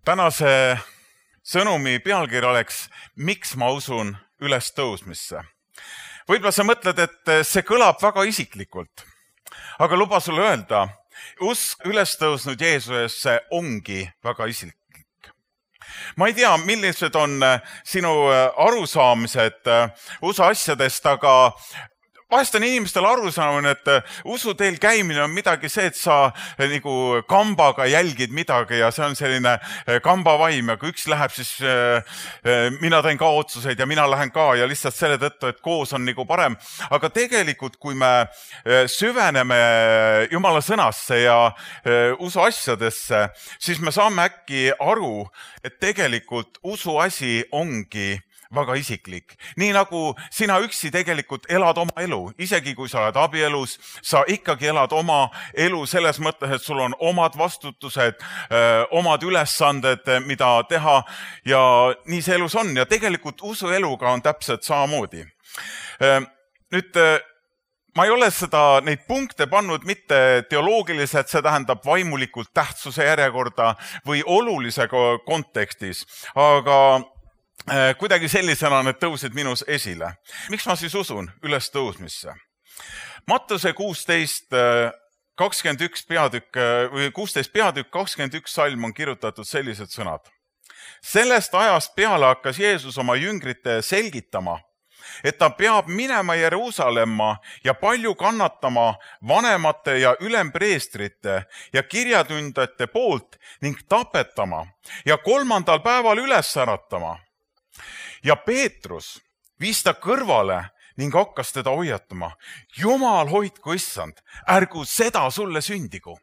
Tänase sõnumi pealkiri oleks, miks ma usun ülestõusmisse. Võib-olla sa mõtled, et see kõlab väga isiklikult, aga luba sulle öelda, usk ülestõusnud Jeesusesse ongi väga isiklik. Ma ei tea, millised on sinu arusaamised usuasjadest, aga vahest on inimestel arusaamine, et usuteel käimine on midagi see, et sa nagu kambaga jälgid midagi ja see on selline kambavaim ja kui üks läheb, siis mina teen ka otsuseid ja mina lähen ka ja lihtsalt selle tõttu, et koos on nagu parem. Aga tegelikult, kui me süveneme Jumala sõnasse ja usuasjadesse, siis me saame äkki aru, et tegelikult usuasi ongi väga isiklik. Nii nagu sina üksi tegelikult elad oma elu, isegi kui sa oled abielus, sa ikkagi elad oma elu selles mõttes, et sul on omad vastutused, omad ülesanded, mida teha ja nii see elus on ja tegelikult usueluga on täpselt samamoodi. Nüüd, ma ei ole neid punkte pannud mitte teoloogiliselt, see tähendab vaimulikult tähtsuse järjekorda või olulise kontekstis, aga kuidagi sellisena need tõusid minus esile. Miks ma siis usun ülestõusmisse? Mattuse 16 peatükk 21 salm on kirjutatud sellised sõnad. Sellest ajast peale hakkas Jeesus oma jüngrite selgitama, et ta peab minema Jeruusalemma ja palju kannatama vanemate ja ülempreestrite ja kirjatundjate poolt ning tapetama ja 3. päeval üles äratama. Ja Peetrus viis ta kõrvale ning hakkas teda hoiatama. Jumal hoidku issand, ärgu seda sulle sündigu.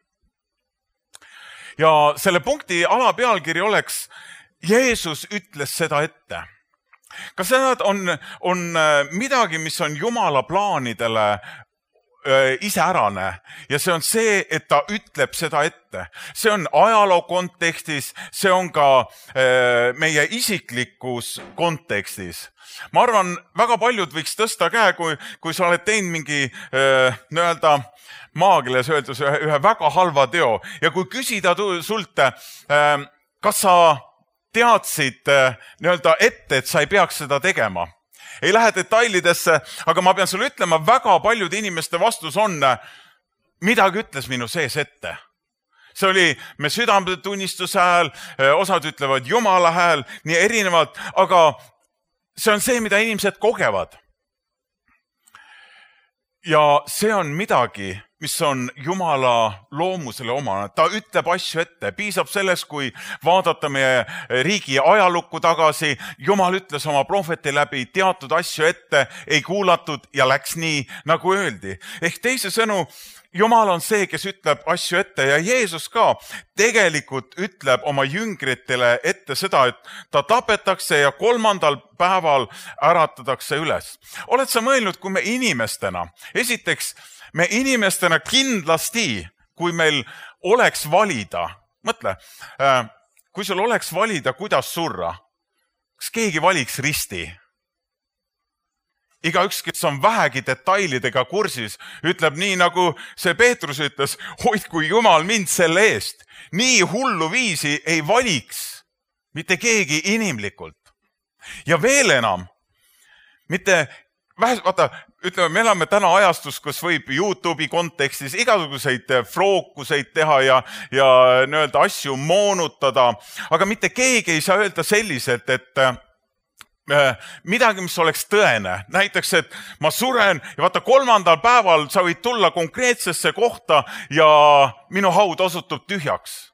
Ja selle punkti alapealkiri oleks, Jeesus ütles seda ette. Kas seda on midagi, mis on Jumala plaanidele iseärane ja see on see, et ta ütleb seda ette. See on ajaloo kontekstis, see on ka meie isiklikus kontekstis. Ma arvan, väga paljud võiks tõsta käe, kui sa oled teinud mingi maagiles öeldes ühe väga halva teo ja kui küsida sult, kas sa teadsid ette, et sa ei peaks seda tegema. Ei lähe detailidesse, aga ma pean sulle ütlema, väga paljude inimeste vastus on, midagi ütles minu sees ette. See oli me südametunnistuse hääl, osad ütlevad Jumala hääl, nii erinevalt, aga see on see, mida inimesed kogevad. Ja see on midagi, mis on Jumala loomusele omane. Ta ütleb asju ette. Piisab sellest, kui vaadata meie riigi ajalukku tagasi. Jumal ütles oma prohveti läbi teatud asju ette, ei kuulatud ja läks nii, nagu öeldi. Ehk teise sõnu, Jumal on see, kes ütleb asju ette ja Jeesus ka tegelikult ütleb oma jüngritele ette seda, et ta tapetakse ja 3. päeval äratatakse üles. Oled sa mõelnud, kui me inimestena, esiteks me inimestena kindlasti, kui meil oleks valida, mõtle, kui sul oleks valida, kuidas surra, kas keegi valiks risti? Igaüks, kes on vähegi detailidega kursis, ütleb nii, nagu see Peetrus ütles, hoidku Jumal mind selle eest. Nii hullu viisi ei valiks mitte keegi inimlikult. Ja veel enam, ütleme, me elame täna ajastus, kus võib YouTube'i kontekstis igasuguseid frookuseid teha ja asju moonutada, aga mitte keegi ei saa öelda selliselt, et midagi, mis oleks tõene. Näiteks, et ma suren ja vaata 3. päeval sa võid tulla konkreetsesse kohta ja minu haud osutub tühjaks.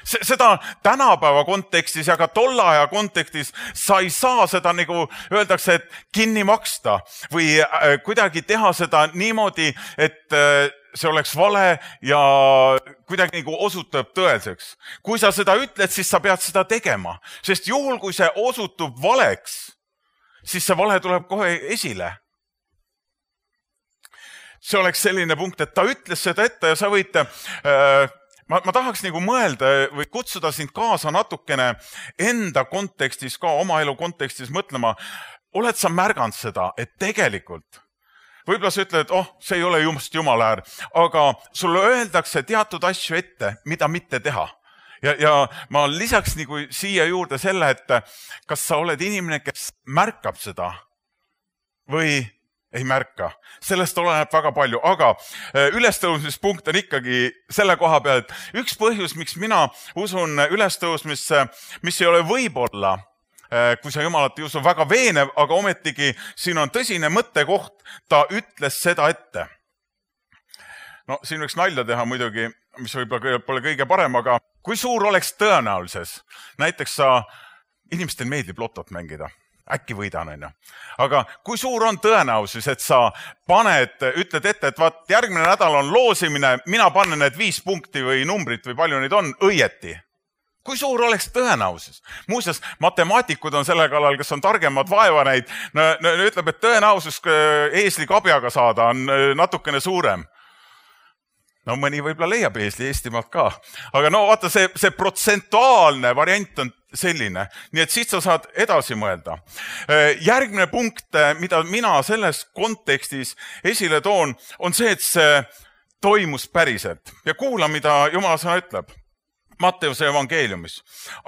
Seda tänapäeva kontekstis ja ka tolle aja kontekstis sa ei saa seda, nagu öeldakse, et kinni maksta või kuidagi teha seda niimoodi, et see oleks vale ja kuidagi nagu osutub tõelseks. Kui sa seda ütled, siis sa pead seda tegema, sest juhul, kui see osutub valeks, siis see vale tuleb kohe esile. See oleks selline punkt, et ta ütles seda ette ja sa võid... Ma tahaks nagu mõelda või kutsuda sind kaasa natukene enda kontekstis, ka oma elu kontekstis mõtlema. Oled sa märganud seda, et tegelikult võib-olla sa ütled, et see ei ole just Jumala äär, aga sulle öeldakse teatud asju ette, mida mitte teha. Ja ma lisaks nagu siia juurde selle, et kas sa oled inimene, kes märkab seda või ei märka. Sellest oleneb väga palju, aga ülestõusmispunkt on ikkagi selle koha peal, et üks põhjus, miks mina usun ülestõusmisse, mis ei ole võib-olla, kui sa Jumalat ei usu, väga veenev, aga ometigi siin on tõsine mõttekoht, ta ütles seda ette. No siin võiks nalja teha muidugi, mis võib-olla pole kõige parem, aga kui suur oleks tõenäolises, näiteks inimestel meeldib lotot mängida, äkki võidan, on ju. Aga kui suur on tõenäosus, et sa ütled ette, et vaat järgmine nädal on loosimine, mina panen need 5 punkti või numbrit või palju neid on õieti. Kui suur oleks tõenäosus? Muuseas, matemaatikud on selle kallal, kes on targemad vaeva neid, ütleb, et tõenäosus eesli kabjaga saada on natukene suurem. No mõni võib-olla leiab eesli Eestimaalt ka. Aga no vaata, see protsentuaalne variant on selline. Nii et siit sa saad edasi mõelda. Järgmine punkt, mida mina selles kontekstis esile toon, on see, et see toimus päriselt. Ja kuula, mida Jumala sõna ütleb. Matteuse evangeeliumis.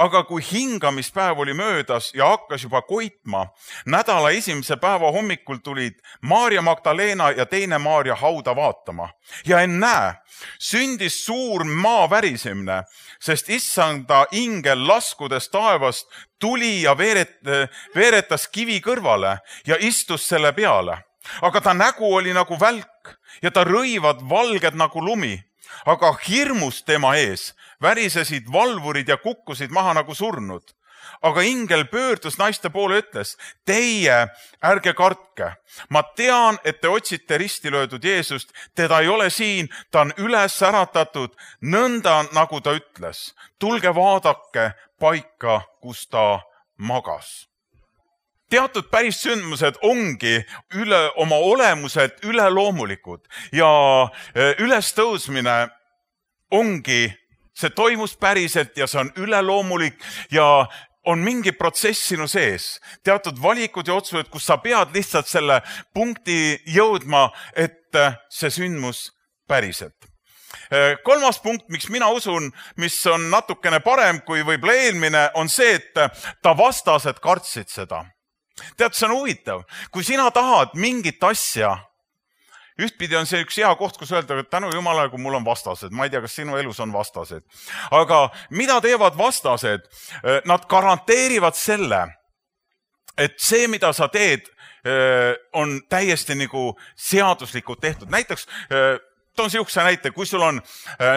Aga kui hingamispäev oli möödas ja hakkas juba koitma, nädala esimese päeva hommikul tulid Maarja Magdalena ja teine Maarja hauda vaatama. Ja ennäe, sündis suur maa värisemine, sest issanda ingel laskudes taevast tuli ja veeretas kivi kõrvale ja istus selle peale. Aga ta nägu oli nagu välk ja ta rõivad valged nagu lumi. Aga hirmus tema ees värisesid valvurid ja kukkusid maha nagu surnud. Aga ingel pöördus naiste poole ja ütles, teie ärge kartke. Ma tean, et te otsite risti löödud Jeesust, teda ei ole siin, ta on üles äratatud, nõnda nagu ta ütles. Tulge vaadake paika, kus ta magas. Teatud päris sündmused ongi oma olemuselt üleloomulikud ja ülestõusmine ongi, see toimus päriselt ja see on üleloomulik ja on mingi protsess sinu sees. Teatud valikud ja otsused, kus sa pead lihtsalt selle punkti jõudma, et see sündmus päriselt. Kolmas punkt, miks mina usun, mis on natukene parem kui võib-olla eelmine, on see, et ta vastased kartsid seda. Tead, see on huvitav. Kui sina tahad mingit asja, ühtpidi on see üks hea koht, kus öelda, et tänu Jumalale, kui mul on vastased. Ma ei tea, kas sinu elus on vastased. Aga mida teevad vastased? Nad garanteerivad selle, et see, mida sa teed, on täiesti nagu seaduslikult tehtud. Näiteks toon sihukese näite, kui sul on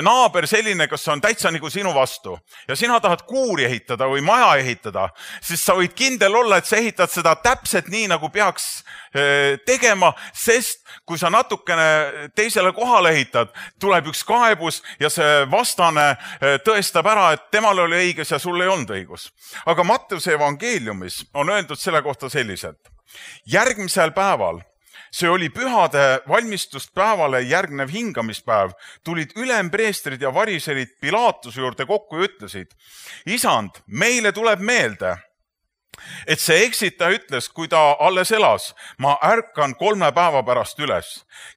naaber selline, kes on täitsa nagu sinu vastu ja sina tahad kuuri ehitada või maja ehitada, siis sa võid kindel olla, et sa ehitad seda täpselt nii, nagu peaks tegema, sest kui sa natukene teisele kohale ehitad, tuleb üks kaebus ja see vastane tõestab ära, et temal oli õigus ja sul ei olnud õigus. Aga Matteuse evangeeliumis on öeldud selle kohta selliselt. Järgmisel päeval, see oli pühade valmistuspäevale järgnev hingamispäev, tulid ülempreestrid ja variserid Pilaatuse juurde kokku ja ütlesid, isand, meile tuleb meelde, et see eksitaja ütles, kui ta alles elas, ma ärkan 3 päeva pärast üles.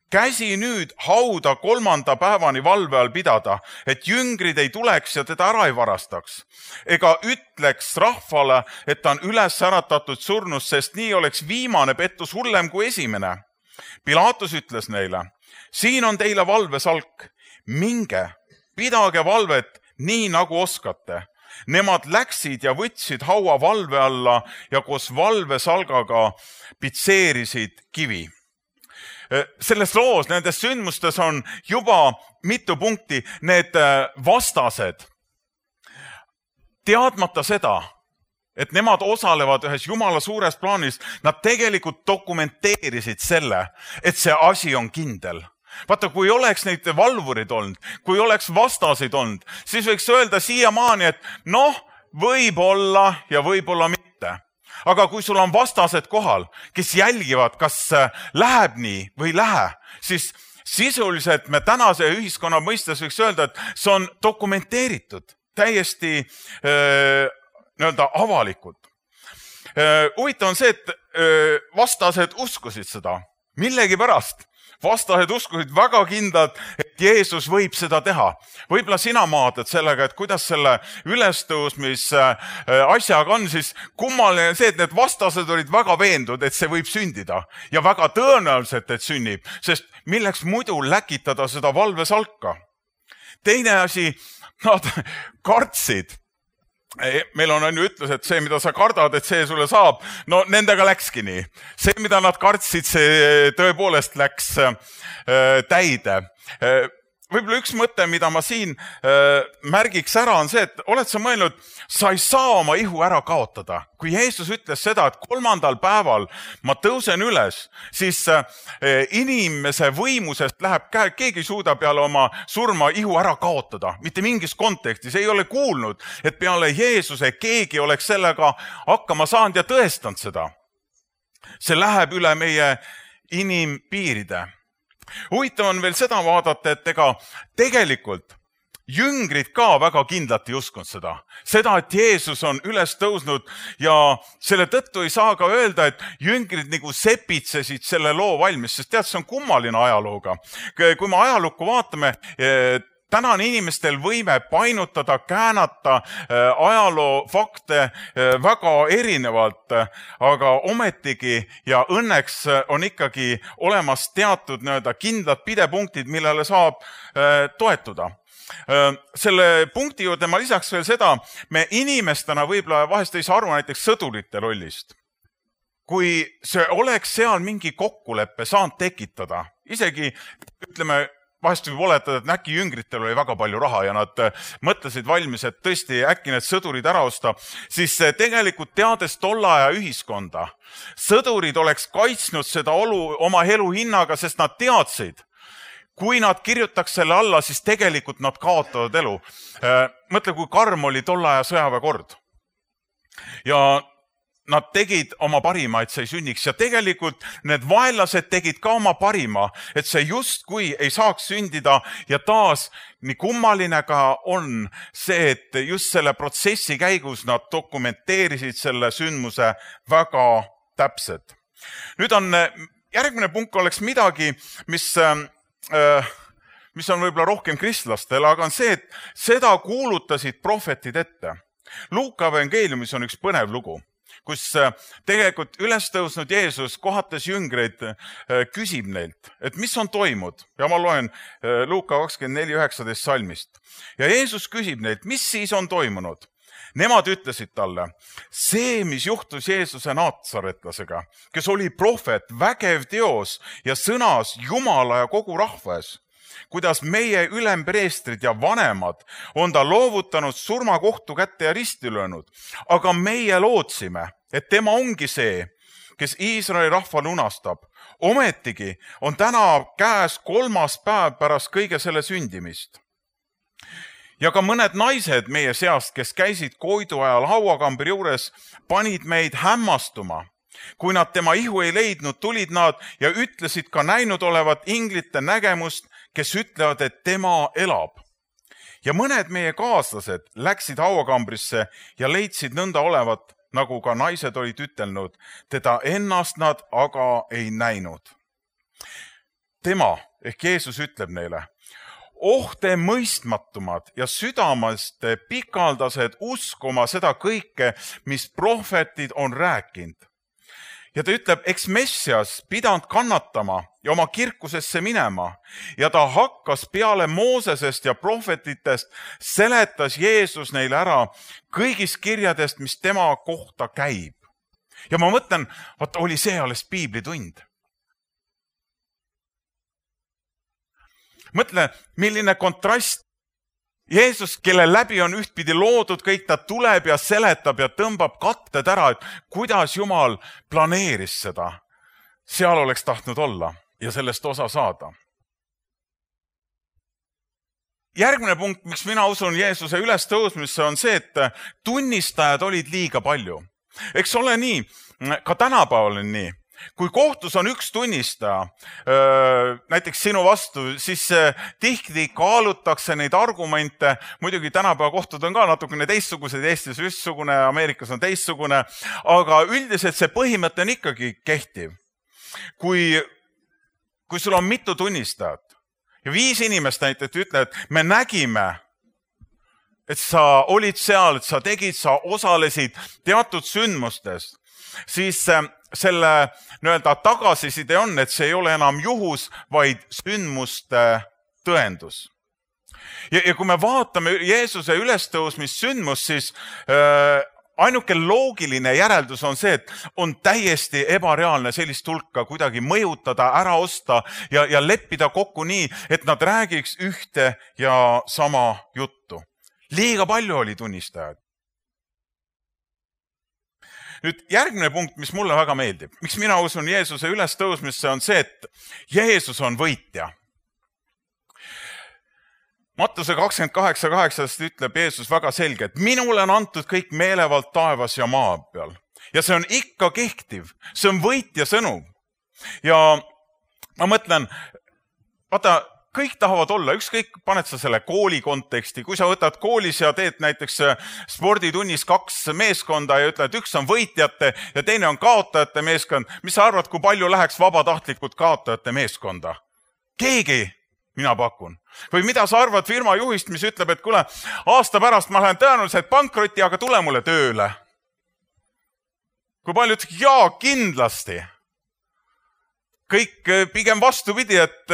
Käsi nüüd hauda 3. päevani valve all pidada, et jüngrid ei tuleks ja teda ära ei varastaks. Ega ütleks rahvale, et ta on üles äratatud surnust, sest nii oleks viimane pettus hullem kui esimene. Pilaatus ütles neile, siin on teile valvesalk, minge, pidage valvet nii nagu oskate. Nemad läksid ja võtsid haua valve alla ja koos valvesalgaga pitseerisid kivi. Selles loos, nendes sündmustes on juba mitu punkti, need vastased, teadmata seda, et nemad osalevad ühes Jumala suures plaanis, nad tegelikult dokumenteerisid selle, et see asi on kindel. Vaata, kui oleks neid valvurid olnud, kui oleks vastasid olnud, siis võiks öelda siiamaani, et noh, võib-olla ja võib-olla mitte. Aga kui sul on vastased kohal, kes jälgivad, kas läheb nii või ei lähe, siis sisuliselt me tänase ühiskonna mõistes võiks öelda, et see on dokumenteeritud, täiesti nii-öelda avalikult. Huvitav on see, et vastased uskusid seda. Millegi pärast vastased uskusid väga kindlalt, et Jeesus võib seda teha. Võib-olla sina maadled sellega, et kuidas selle ülestõusmise asjaga on, siis kummaline see, et need vastased olid väga veendunud, et see võib sündida ja väga tõenäoliselt, et sünnib, sest milleks muidu läkitada seda valvesalka. Teine asi, nad kartsid. Meil on ju ütlus, et see, mida sa kardad, et see sulle saab, no nendega läkski nii. See, mida nad kartsid, see tõepoolest läks täide. Võib-olla üks mõte, mida ma siin märgiks ära, on see, et oled sa mõelnud, sa ei saa oma ihu ära kaotada. Kui Jeesus ütles seda, et 3. päeval ma tõusen üles, siis inimese võimusest läheb käe, keegi ei suuda peale oma surma ihu ära kaotada. Mitte mingis kontekstis ei ole kuulnud, et peale Jeesuse keegi oleks sellega hakkama saanud ja tõestanud seda. See läheb üle meie inimpiiride. Huvitav on veel seda vaadata, et ega tegelikult jüngrid ka väga kindlalt ei uskunud seda. Seda, et Jeesus on üles tõusnud ja selle tõttu ei saa ka öelda, et jüngrid nagu sepitsesid selle loo valmis, sest tead, see on kummaline ajalooga. Kui me ajalukku vaatame, täna on inimestel võime painutada, käänata ajaloo fakte väga erinevalt, aga ometigi ja õnneks on ikkagi olemas teatud kindlad pidepunktid, millele saab toetuda. Selle punkti juurde ma lisaks veel seda, me inimestena võib-olla vahest ei saa aru näiteks sõdurite rollist. Kui see oleks seal mingi kokkuleppe saanud tekitada, isegi ütleme, vahest võib oletada, et äkki jüngritel oli väga palju raha ja nad mõtlesid valmis, et tõesti äkki need sõdurid ära osta, siis tegelikult teades tolle aja ühiskonda, sõdurid oleks kaitsnud seda oma elu hinnaga, sest nad teadsid, kui nad kirjutaks selle alla, siis tegelikult nad kaotavad elu. Mõtle, kui karm oli tolle aja sõjaväekord. Ja nad tegid oma parima, et see ei sünniks ja tegelikult need vaenlased tegid ka oma parima, et see justkui ei saaks sündida ja taas nii kummaline ka on see, et just selle protsessi käigus nad dokumenteerisid selle sündmuse väga täpselt. Nüüd on järgmine punkt oleks midagi, mis on võib-olla rohkem kristlastel, aga on see, et seda kuulutasid prohvetid ette. Luuka evangeeliumis on üks põnev lugu, kus tegelikult üles tõusnud Jeesus kohates jüngreid küsib neilt, et mis on toimunud. Ja ma loen Luuka 24:19 salmist. Ja Jeesus küsib neilt, mis siis on toimunud? Nemad ütlesid talle, see, mis juhtus Jeesuse naatsaretlasega, kes oli prohvet, vägev teos ja sõnas Jumala ja kogu rahva ees, kuidas meie ülempreestrid ja vanemad on ta loovutanud surmakohtu kätte ja risti löönud. Aga meie lootsime, et tema ongi see, kes Iisraeli rahva lunastab. Ometigi on täna käes 3. päev pärast kõige selle sündimist. Ja ka mõned naised meie seast, kes käisid koidu ajal hauakambri juures, panid meid hämmastuma. Kui nad tema ihu ei leidnud, tulid nad ja ütlesid ka näinud olevat inglite nägemust, kes ütlevad, et tema elab. Ja mõned meie kaaslased läksid hauakambrisse ja leidsid nõnda olevat, nagu ka naised olid ütelnud, teda ennast nad aga ei näinud. Tema ehk Jeesus ütleb neile, te mõistmatumad ja südamest pikaldased uskuma seda kõike, mis prohvetid on rääkinud. Ja ta ütleb, eks Messias pidanud kannatama ja oma kirkusesse minema ja ta hakkas peale Moosesest ja prohvetitest, seletas Jeesus neile ära kõigist kirjadest, mis tema kohta käib. Ja ma mõtlen, oli see alles piiblitund. Mõtle, milline kontrast. Jeesus, kelle läbi on ühtpidi loodud kõik, ta tuleb ja seletab ja tõmbab katted ära, et kuidas Jumal planeeris seda. Seal oleks tahtnud olla ja sellest osa saada. Järgmine punkt, miks mina usun Jeesuse ülestõusmisse, on see, et tunnistajad olid liiga palju. Eks ole nii, ka tänapäeval on nii. Kui kohtus on üks tunnistaja, näiteks sinu vastu, siis tihti kaalutakse neid argumente. Muidugi tänapäeva kohtud on ka natukene teistsugused, Eestis ühtsugune, Ameerikas on teistsugune, aga üldiselt see põhimõte on ikkagi kehtiv. Kui kui sul on mitu tunnistajat ja 5 inimest näiteks ütlevad, et me nägime, et sa olid seal, et sa tegid, sa osalesid teatud sündmustes, siis selle tagasiside on, et see ei ole enam juhus, vaid sündmuste tõendus. Ja kui me vaatame Jeesuse ülestõusmissündmust, siis ainuke loogiline järeldus on see, et on täiesti ebareaalne sellist hulka kuidagi mõjutada, ära osta ja leppida kokku nii, et nad räägiks ühte ja sama juttu. Liiga palju oli tunnistajaid. Nüüd järgmine punkt, mis mulle väga meeldib. Miks mina usun Jeesuse ülestõusmisse on see, et Jeesus on võitja. Mattuse 28:8 ütleb Jeesus väga selge, et minule on antud kõik meelevald taevas ja maa peal. Ja see on ikka kehtiv. See on võitja sõnum. Ja ma mõtlen, vaata, kõik tahavad olla, ükskõik paned sa selle kooli konteksti, kui sa võtad koolis ja teed näiteks sporditunnis 2 meeskonda ja ütled, üks on võitjate ja teine on kaotajate meeskond, mis sa arvad, kui palju läheks vabatahtlikult kaotajate meeskonda? Keegi, mina pakun. Või mida sa arvad firma juhist, mis ütleb, et kuule, aasta pärast ma lähen tõenäoliselt pankrotti, aga tule mulle tööle. Kui palju ütleks, jaa, kindlasti. Kõik pigem vastupidi, et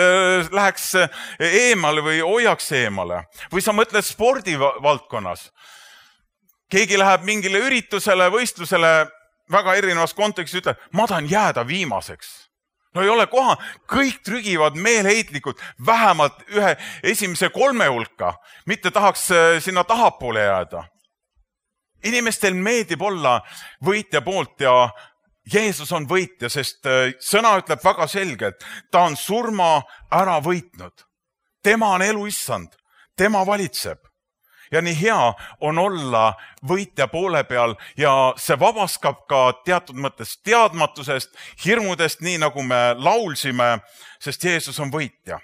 läheks eemale või hoiaks eemale. Või sa mõtled spordivaldkonnas. Keegi läheb mingile üritusele, võistlusele väga erinevas kontekstis, ütleb, ma tahan jääda viimaseks. No ei ole koha, kõik trügivad meelheitlikult vähemalt ühe esimese 3 hulka, mitte tahaks sinna tahapoole jääda. Inimestel meeldib olla võitja poolt ja Jeesus on võitja, sest sõna ütleb väga selgelt, ta on surma ära võitnud. Tema on elu issand, tema valitseb. Ja nii hea on olla võitja poole peal ja see vabaskab ka teatud mõttes teadmatusest, hirmudest, nii nagu me laulsime, sest Jeesus on võitja.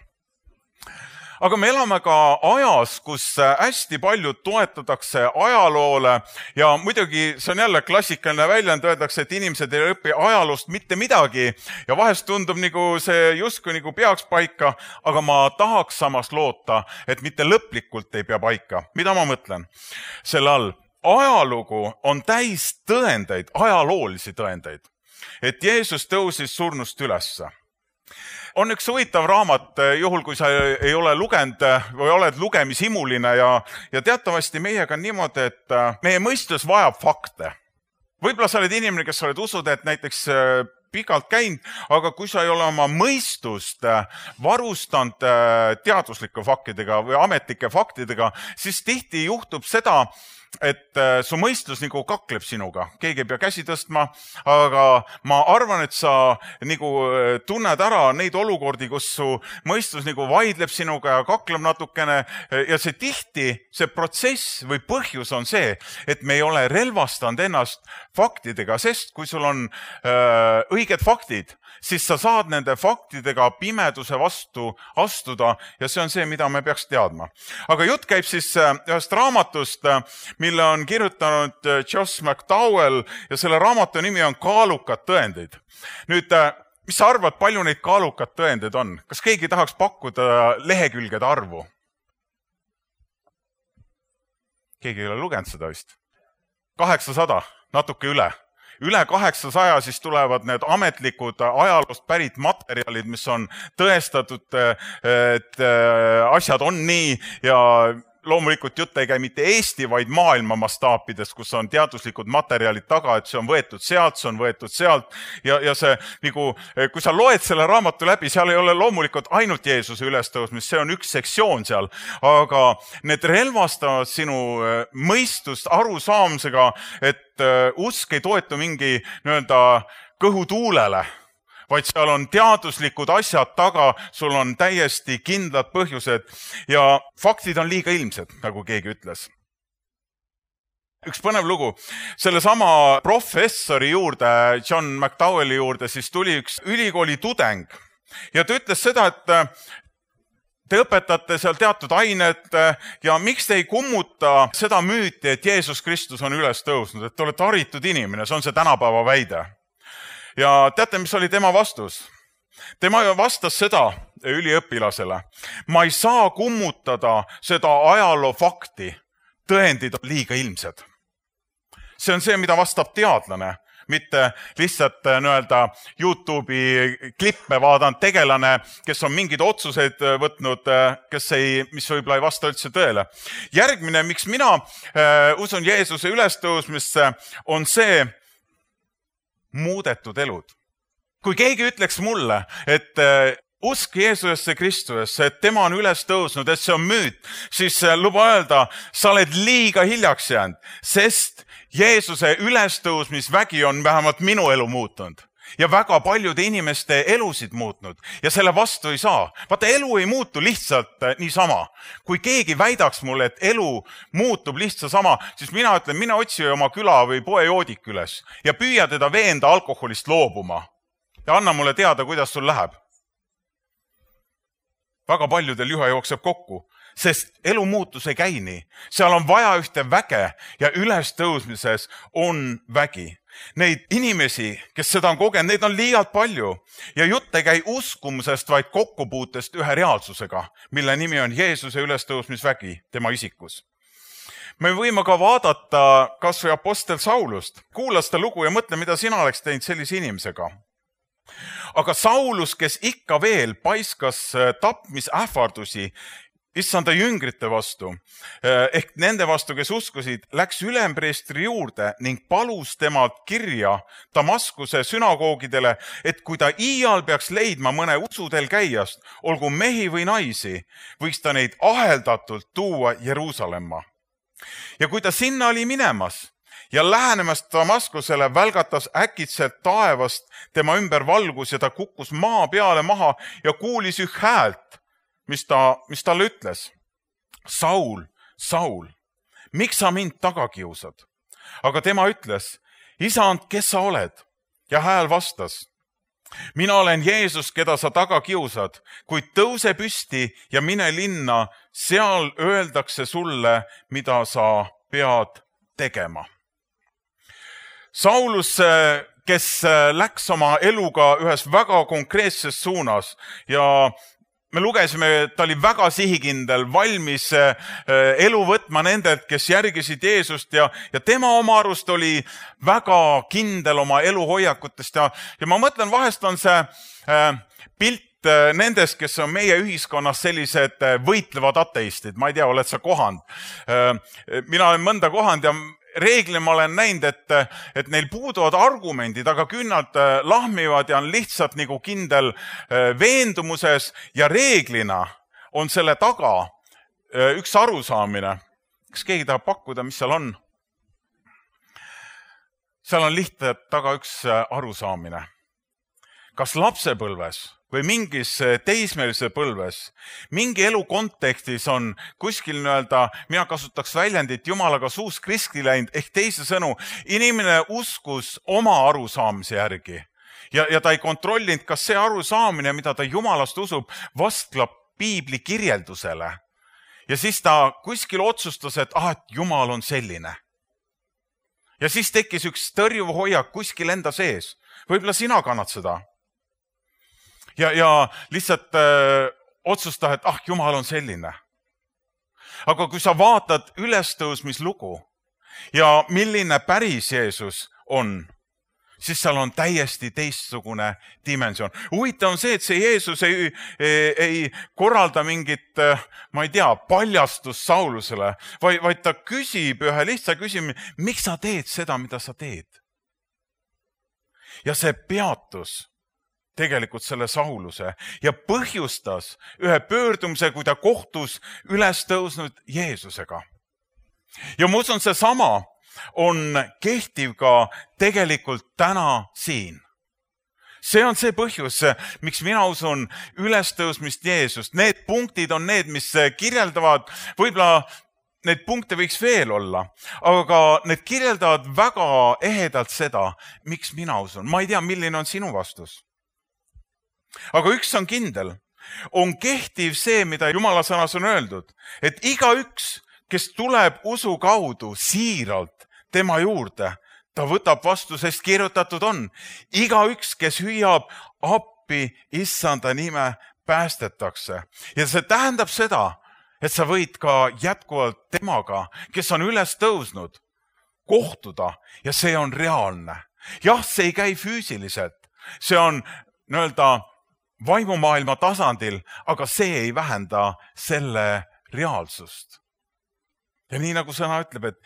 Aga me elame ka ajas, kus hästi palju toetatakse ajaloole ja muidugi see on jälle klassikaline väljend, öeldakse, et inimesed ei õpi ajaloost mitte midagi ja vahest tundub nagu see justkui nagu peaks paika, aga ma tahaks samas loota, et mitte lõplikult ei pea paika. Mida ma mõtlen selle all? Ajalugu on täis tõendeid, ajaloolisi tõendeid, et Jeesus tõusis surnust ülesse. On üks huvitav raamat, juhul kui sa ei ole lugenud või oled lugemishimuline ja teatavasti meiega on niimoodi, et meie mõistus vajab fakte. Võib-olla sa oled inimene, kes oled usud, et näiteks pikalt käinud, aga kui sa ei ole oma mõistust varustanud teaduslike faktidega või ametlike faktidega, siis tihti juhtub seda, et su mõistus nagu kakleb sinuga. Keegi ei pea käsi tõstma, aga ma arvan, et sa nagu tunned ära neid olukordi, kus su mõistus nagu vaidleb sinuga ja kakleb natukene ja see tihti, see protsess või põhjus on see, et me ei ole relvastanud ennast faktidega, sest kui sul on õiged faktid, siis sa saad nende faktidega pimeduse vastu astuda ja see on see, mida me peaks teadma. Aga jutt käib siis ühest raamatust, mille on kirjutanud Josh McDowell ja selle raamatu nimi on Kaalukad tõendid. Nüüd, mis sa arvad, palju neid kaalukad tõendeid on? Kas keegi tahaks pakkuda lehekülgede arvu? Keegi ei ole lugenud seda vist? 800, natuke üle. Üle 800 siis tulevad need ametlikud ajaloost pärit materjalid, mis on tõestatud, et asjad on nii ja loomulikult jutt ei käi mitte Eesti, vaid maailma mastaapides, kus on teaduslikud materjalid taga, et see on võetud sealt ja see, nagu, kui sa loed selle raamatu läbi, seal ei ole loomulikult ainult Jeesuse ülestõusmist, see on üks sektsioon seal, aga need relvastavad sinu mõistust arusaamisega, et usk ei toetu mingi kõhutuulele, vaid seal on teaduslikud asjad taga, sul on täiesti kindlad põhjused ja faktid on liiga ilmsed, nagu keegi ütles. Üks põnev lugu. Sellesama professori juurde, John McDowelli juurde, siis tuli üks ülikooli tudeng ja ta ütles seda, et te õpetate seal teatud ained ja miks te ei kummuta seda müüti, et Jeesus Kristus on üles tõusnud, et te olete haritud inimene, see on see tänapäeva väide. Ja teate, mis oli tema vastus? tema vastas seda üliõpilasele. Ma ei saa kummutada seda ajaloo fakti. Tõendid on liiga ilmsed. See on see, mida vastab teadlane, mitte lihtsalt YouTube'i klippe vaadanud tegelane, kes on mingeid otsuseid võtnud, mis võib-olla ei vasta üldse tõele. Järgmine, miks mina usun Jeesuse ülestõusmisse, on see muudetud elud. Kui keegi ütleks mulle, et usk Jeesusesse Kristusesse, et tema on üles tõusnud, et see on müüt, siis luba öelda, sa oled liiga hiljaks jäänud, sest Jeesuse ülestõusmisvägi on vähemalt minu elu muutunud ja väga paljude inimeste elusid muutnud ja selle vastu ei saa. Vaata, elu ei muutu lihtsalt niisama. Kui keegi väidaks mulle, et elu muutub lihtsalt sama, siis mina ütlen, mine otsi oma küla või poe joodik üles ja püüa teda veenda alkoholist loobuma ja anna mulle teada, kuidas sul läheb. Väga paljudel juhe jookseb kokku, sest elu muutus ei käi nii. Seal on vaja ühte väge ja ülestõusmises on vägi. Neid inimesi, kes seda on kogenud, neid on liialt palju ja jutt ei käi uskumusest, vaid kokkupuutest ühe reaalsusega, mille nimi on Jeesuse ülestõusmisvägi tema isikus. Me võime ka vaadata kas või apostel Saulust. Kuula seda lugu ja mõtle, mida sina oleks teinud sellise inimesega. Aga Saulus, kes ikka veel paiskas tapmisähvardusi issanda jüngrite vastu, ehk nende vastu, kes uskusid, läks ülempreestri juurde ning palus temalt kirja Damaskuse sünagoogidele, et kui ta iial peaks leidma mõne usudel käijast, olgu mehi või naisi, võiks ta neid aheldatult tuua Jeruusalemma. Ja kui ta sinna oli minemas ja lähenemast Damaskusele, välgatas äkitselt taevast tema ümber valgus ja ta kukkus maa peale maha ja kuulis üht häält, mis talle ütles. Saul, Saul, miks sa mind taga kiusad? Aga tema ütles, Isand, kes sa oled? Ja hääl vastas, mina olen Jeesus, keda sa taga kiusad, kuid tõuse püsti ja mine linna, seal öeldakse sulle, mida sa pead tegema. Saulus, kes läks oma eluga ühes väga konkreetses suunas ja me lugesime, et ta oli väga sihikindel, valmis elu võtma nendelt, kes järgisid Jeesust ja tema oma arust oli väga kindel oma eluhoiakutest ja ma mõtlen, vahest on see pilt nendest, kes on meie ühiskonnas sellised võitlevad ateistid. Ma ei tea, oled sa kohanud? Mina olen mõnda kohanud ja reeglina ma olen näinud, et neil puuduvad argumendid, aga küll nad lahmivad ja on lihtsalt nagu kindel veendumuses ja reeglina on selle taga üks arusaamine. Kas keegi tahab pakkuda, mis seal on? Seal on lihtsalt taga üks arusaamine. Kas lapsepõlves või mingis teismelise põlves, mingi elu kontekstis on kuskil mina kasutaks väljendit jumalaga suust kriskli läinud, ehk teisisõnu, inimene uskus oma arusaamise järgi ja ta ei kontrollinud, kas see arusaamine, mida ta jumalast usub, vastlab piibli kirjeldusele. Ja siis ta kuskil otsustas, et jumal on selline. Ja siis tekkis üks tõrjuv hoiak kuskil enda sees. Võib-olla sina kannad seda. Ja lihtsalt otsustada, et Jumal on selline. Aga kui sa vaatad ülestõusmislugu ja milline päris Jeesus on, siis seal on täiesti teistsugune dimensioon. Huvitav on see, et see Jeesus ei korralda mingit, ma ei tea, paljastust Saulusele, vaid ta küsib ühe lihtsa küsimuse, miks sa teed seda, mida sa teed? Ja see peatus tegelikult selle Sauluse ja põhjustas ühe pöördumise, kui ta kohtus üles tõusnud Jeesusega. Ja ma usun, see sama on kehtiv ka tegelikult täna siin. See on see põhjus, miks mina usun ülestõusmist Jeesust. Need punktid on need, mis kirjeldavad, võib-olla need punkte võiks veel olla, aga need kirjeldavad väga ehedalt seda, miks mina usun. Ma ei tea, milline on sinu vastus. Aga üks on kindel, on kehtiv see, mida Jumala sõnas on öeldud, et igaüks, kes tuleb usu kaudu siiralt tema juurde, ta võtab vastu, sest kirjutatud on. Igaüks, kes hüüab appi issanda nime päästetakse. Ja see tähendab seda, et sa võid ka jätkuvalt temaga, kes on üles tõusnud, kohtuda ja see on reaalne. Jah, see ei käi füüsiliselt, see on vaimumaailma tasandil, aga see ei vähenda selle reaalsust. Ja nii nagu sõna ütleb, et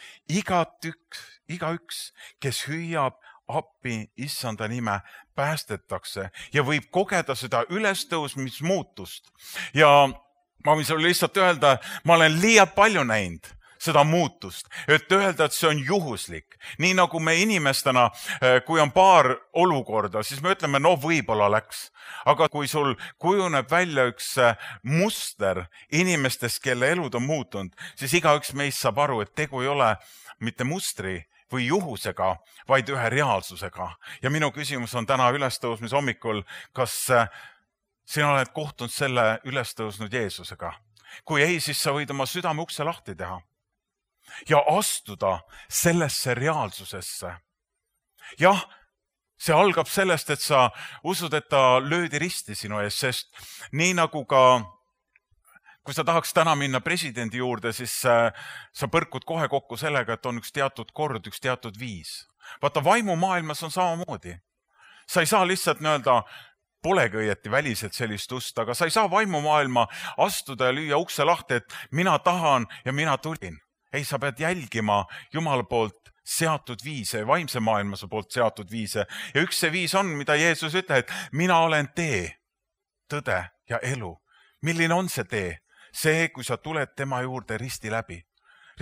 igaüks, kes hüüab appi issanda nime, päästetakse ja võib kogeda seda ülestõusmismuutust. Ja ma võin sulle lihtsalt öelda, ma olen liialt palju näinud seda muutust, et öelda, et see on juhuslik. Nii nagu me inimestena, kui on paar olukorda, siis me ütleme, no võib-olla läks. Aga kui sul kujuneb välja üks muster inimestest, kelle elud on muutunud, siis igaüks meist saab aru, et tegu ei ole mitte mustri või juhusega, vaid ühe reaalsusega. Ja minu küsimus on täna ülestõusmise hommikul, kas sina oled kohtunud selle ülestõusnud Jeesusega? Kui ei, siis sa võid oma südame ukse lahti teha ja astuda sellesse reaalsusesse. Jah, see algab sellest, et sa usud, et ta löödi risti sinu ees, sest nii nagu ka, kui sa tahaks täna minna presidendi juurde, siis sa põrkud kohe kokku sellega, et on üks teatud kord, üks teatud viis. Vaata, vaimumaailmas on samamoodi. Sa ei saa lihtsalt polegi õieti väliselt sellist ust, aga sa ei saa vaimumaailma astuda ja lüüa ukse lahti, et mina tahan ja mina tulin. Ei, sa pead jälgima Jumala poolt seatud viise, vaimse maailmase poolt seatud viise. Ja üks see viis on, mida Jeesus ütleb, et mina olen tee, tõde ja elu. Milline on see tee? See, kui sa tuled tema juurde risti läbi.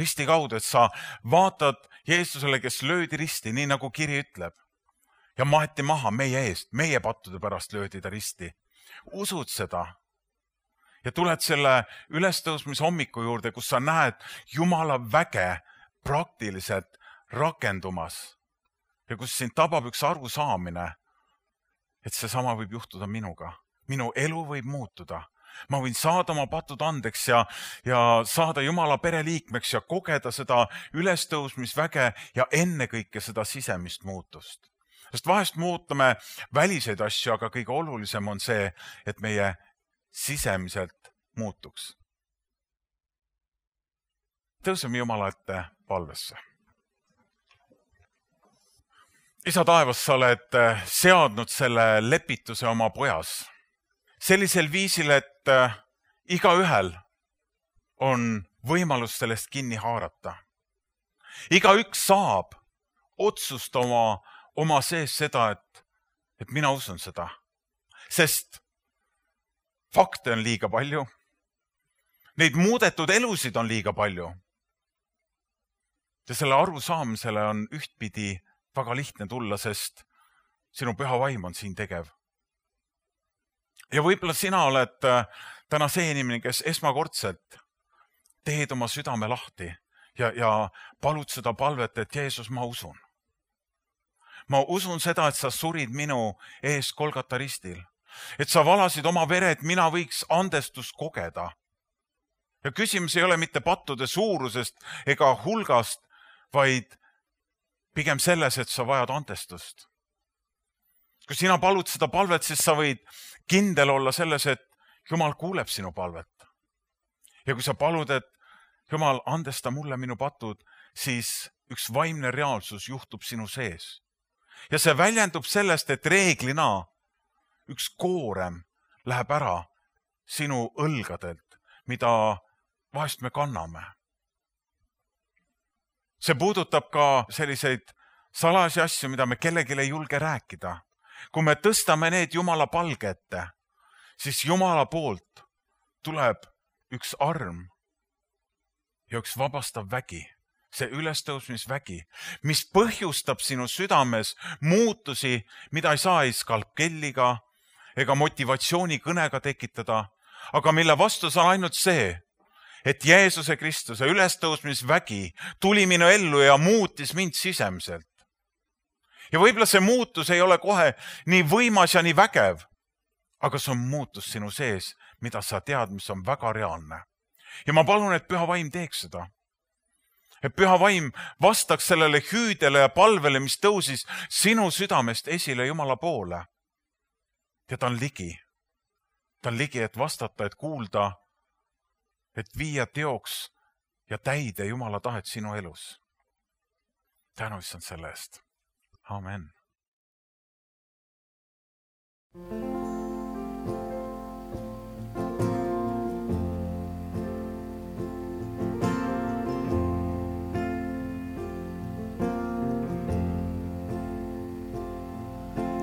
Risti kaudu, et sa vaatad Jeesusele, kes löödi risti, nii nagu kiri ütleb. Ja maeti maha meie eest, meie pattude pärast löödi ta risti. Usud seda? Ja tuled selle ülestõusmise hommiku juurde, kus sa näed Jumala väge praktiliselt rakendumas. Ja kus sind tabab üks arusaamine, et see sama võib juhtuda minuga. Minu elu võib muutuda. Ma võin saada oma patud andeks ja saada Jumala pereliikmeks ja kogeda seda ülestõusmisväge ja ennekõike seda sisemist muutust. Sest vahest muutame väliseid asju, aga kõige olulisem on see, et meie sisemiselt muutuks. Tõuseme Jumala ette palvesse. Isa taevas, sa oled seadnud selle lepituse oma pojas. Sellisel viisil, et igaühel on võimalus sellest kinni haarata. Igaüks saab otsustama oma sees seda, et mina usun seda. Sest fakte on liiga palju. Neid muudetud elusid on liiga palju. Ja selle arusaamisele on ühtpidi väga lihtne tulla, sest sinu püha vaim on siin tegev. Ja võib-olla sina oled täna see inimene, kes esmakordselt teed oma südame lahti ja palud seda palvet, et Jeesus, ma usun. Ma usun seda, et sa surid minu ees Golgata ristil. Et sa valasid oma vere, et mina võiks andestust kogeda. Ja küsimus ei ole mitte pattude suurusest ega hulgast, vaid pigem selles, et sa vajad andestust. Kui sina palud seda palvet, siis sa võid kindel olla selles, et Jumal kuuleb sinu palvet. Ja kui sa palud, et Jumal, andesta mulle minu patud, siis üks vaimne reaalsus juhtub sinu sees. Ja see väljendub sellest, et reeglina üks koorem läheb ära sinu õlgadelt, mida vahest me kanname. See puudutab ka selliseid salasi asju, mida me kellelegi ei julge rääkida. Kui me tõstame need Jumala palge ette, siis Jumala poolt tuleb üks arm ja üks vabastav vägi. See ülestõusmisvägi, mis põhjustab sinu südames muutusi, mida ei saa ei skalpkelliga ega motivatsioonikõnega tekitada, aga mille vastus on ainult see, et Jeesuse Kristuse ülestõusmisvägi tuli minu ellu ja muutis mind sisemiselt. Ja võib-olla see muutus ei ole kohe nii võimas ja nii vägev, aga see on muutus sinu sees, mida sa tead, mis on väga reaalne. Ja ma palun, et püha vaim teeks seda. Et püha vaim vastaks sellele hüüdele ja palvele, mis tõusis sinu südamest esile Jumala poole. Ja ta on ligi. Ta on ligi, et vastata, et kuulda, et viia teoks ja täide Jumala tahet sinu elus. Tänu issand selle eest. Amen.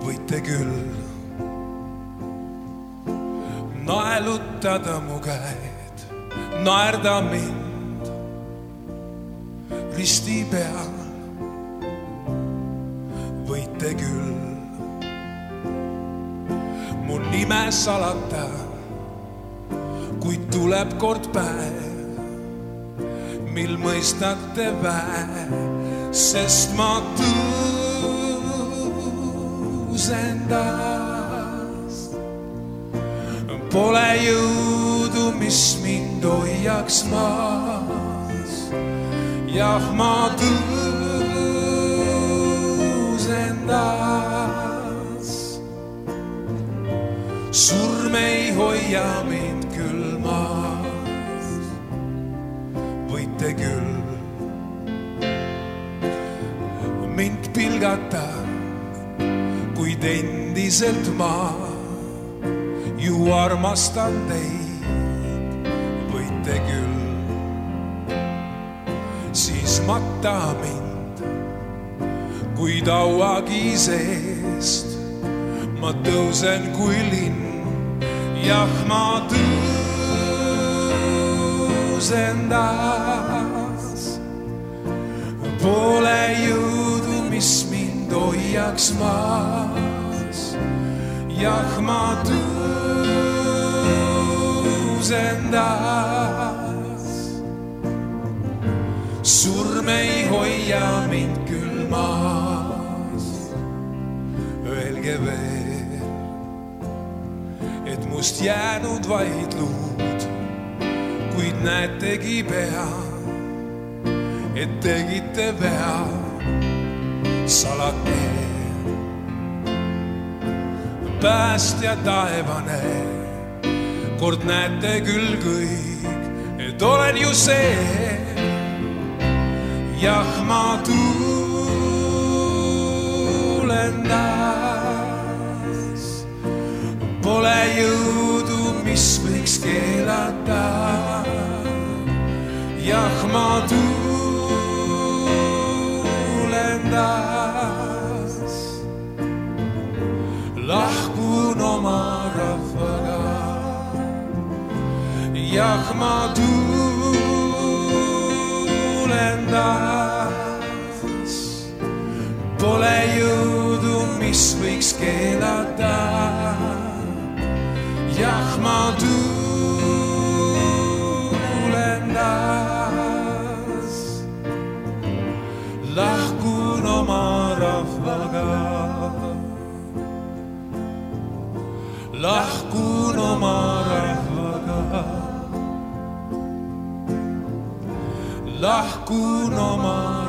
Võite küll naelutada mu käed, naerda mind risti peal. Võite küll mu nime salata, kuid tuleb kord päev, mil mõistate väe, sest ma tõusen taas. Pole jõudu, mis mind hoiaks maas. Jah, ma tõusen taas. Surm ei hoia mind küll maas. Võite küll mind pilgata, kuid endiselt ma ju armastan teid. Võite küll siis matta mind, kuid auagi seest ma tõusen kui linn. Jah, ma tõusen taas. Pole jõudu, mis mind hoiaks maas. Jah, ma tõusen taas. Surm ei hoia mind küll maas. Öelge veel, et must jäänud vaid luud, kuid näetegi pea, et tegite vea. Salake päästja taevane, kord näete küll kõik, et olen ju see. Jah, ma tulen taas. Pole jõudu, mis võiks keelata. Jah, ma tulen taas. Lahkun oma rahvaga. Jah, ma tulen taas. Pole jõudu, mis võiks keelata. Jah, ma tulen taas. Lahkun oma rahvaga. Lahkun oma rahvaga. Lahkun oma